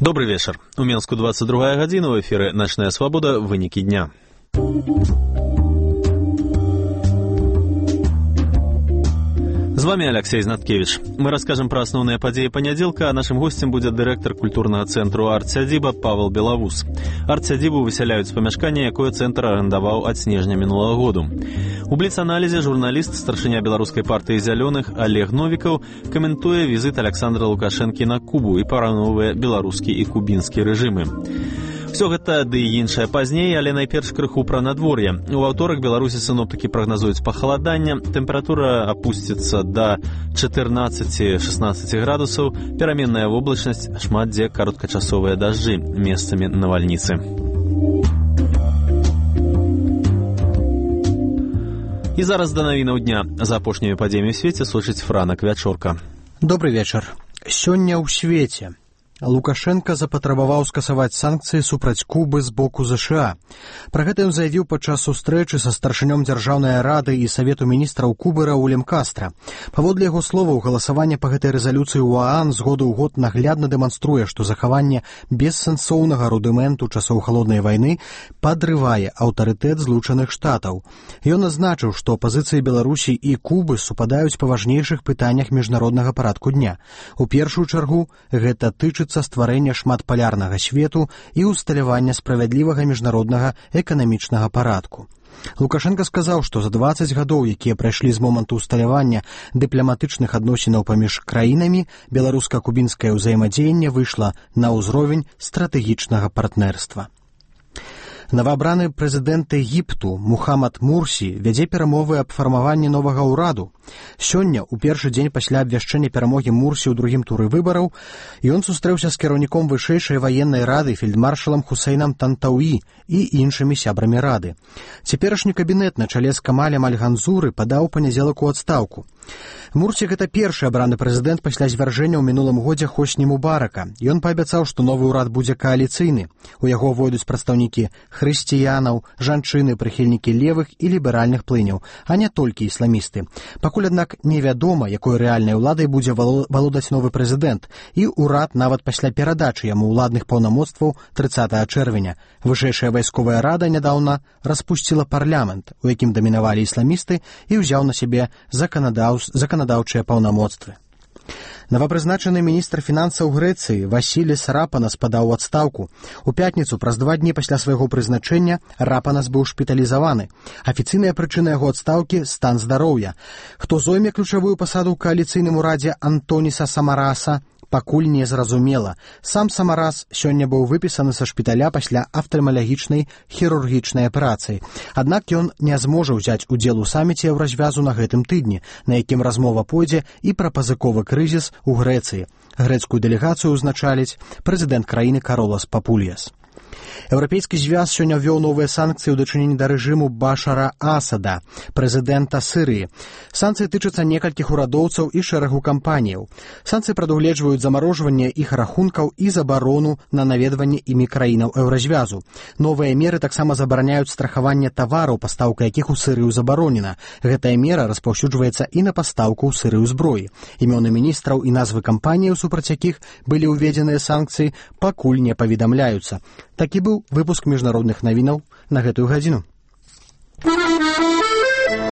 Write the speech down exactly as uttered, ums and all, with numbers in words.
Добрый вечер. У Менску двадцать другая гадзіна, в эфире «Ночная свобода. Вынікі дня». З вами Алексей Знаткевич. Мы расскажем про основные подеи понеделька, а нашим гостем будет директор культурного центру «Арт-Сядзіба» Павел Белавус. «Арт-Сядзібу» выселяют з памяшкання, якое центр арендаваў ад снежня мінулага году. У бліц-аналізе журналіст, старшыня беларускай партыі «Зялёных» Олег Новікаў каментуе візит Александра Лукашэнкі на Кубу і параўноўвае беларускі і кубінскі рэжымы. Все гэта ды і іншае пазней, але найперш крыху пра надвор'е. У аўторак Беларусі сіноптыкі прагназуюць пахаладанне, тэмпература апусціцца да чатырнаццаць-шаснаццаць градусаў, пераменная воблачнасць, шмат дзе кароткачасовыя дажджы, месцамі навальніцы. І зараз да навінаў дня. За апошнімі падзеямі ў свеце сочыць Франак Вячорка. Добрый вечар. Сёння ў свеце Лукашенко запатрабаваў скасаваць санкцыі супраць Кубы з боку ЗША. Пра гэта ён заявіў падчас сустрэчы са старшынём Дзяржаўнай рады і Савету міністраў Кубы Раулем Кастра. Паводле яго словаў, галасаванне па гэтай рэзалюцыі ў ААН з году ў год наглядна дэманструе, што захаванне бессэнсоўнага рудыменту часоў халоднай вайны падрывае аўтарытэт Злучаных Штатаў. Ён адзначыў, што пазіцыі Беларусі і Кубы супадаюць па важнейшых пытаннях міжнароднага парадку дня. У першую чаргу гэта тычыцца стварэння шматпалярнага свету і ўсталявання справядлівага міжнароднага эканамічнага парадку. Лукашенко сказаў, што за дваццаць гадоў, якія прайшлі з моманту ўсталявання дыпламатычных адносінаў паміж краінамі, беларуска-кубінскае ўзаемадзеянне выйшла на ўзровень стратэгічнага партнерства. Новаабраны прэзідэнт Егіпту Мухаммад Мурсі вядзе перамовы аб фармаванні новага ўраду. Сёння, у першы дзень пасля абвяшчэння перамогі Мурсі ў другім туры выбараў, ён сустрэўся з кіраўніком вышэйшай ваеннай рады фельдмаршалам Хусейнам Тантауі і іншымі сябрамі рады. Цяперашні кабінет на чале з Камалем Аль-Ганзуры падаў у панядзелак у адстаўку. Мурсі гэта першы абраны прэзідэнт пасля звяржэння ў мінулым годзе Хосні Мубарака. Ён паабяцаў, што новы ўрад будзе кааліцыйны. У яго войдуць прадстаўнікі хрысціянаў, жанчыны, прыхільнікі левых і ліберальных плыняў, а не толькі ісламісты. Пакуль, аднак, невядома, якой рэальнай уладай будзе валодаць новы прэзідэнт, і ўрад нават пасля перадачы яму ўладных паўнамоцтваў трыццатага чэрвеня. Вышэйшая вайсковая рада нядаўна распусціла парламент, у якім дамінавалі ісламісты, і ўзяў на сябе заканадаў заканадаўчыя паўнамоцтвы. Новапрызначаны міністр фінансаў Грэцыі Васіліс Рапанас падаў у адстаўку. У пятніцу, праз два дні пасля свайго прызначэння, Рапанас быў шпіталізаваны. Афіцыйная прычына яго адстаўкі – стан здароўя. Хто зойме ключавую пасаду ў кааліцыйным урадзе Антоніса Самараса, пакуль не зразумела. Сам Самарас сёння быў выпісаны са шпіталя пасля афтальмалагічнай хірургічнай аперацыі. Аднак ён не зможа ўзяць удзел у саміце Еўразвязу на гэтым тыдні, на якім размова пойдзе і пра пазыковы крызіс у Грэцыі. Грэцкую дэлегацыю ўзначаліць прэзідэнт краіны Каролас Папульяс. Еўрапейскі звяз сёння ввёў новыя санкцыі ў дачыненні да рэжыму Башара Асада, прэзідэнта Сырыі. Санкцыі тычацца некалькіх урадоўцаў і шэрагу кампаніяў. Санкцыі прадугледжваюць замарожванне іх рахункаў і забарону на наведванне імі краінаў Еўразвязу. Новыя меры таксама забараняюць страхаванне тавараў, пастаўка якіх у Сырыю забаронена. Гэтая мера распаўсюджваецца і на пастаўку ў Сырыю зброі. Імёны міністраў і назвы кампаніяў, супраць якіх былі ўведзеныя санкцыі, пакуль не паведамляюцца. Такі быў выпуск міжнародных навінаў на гэтую гадзіну.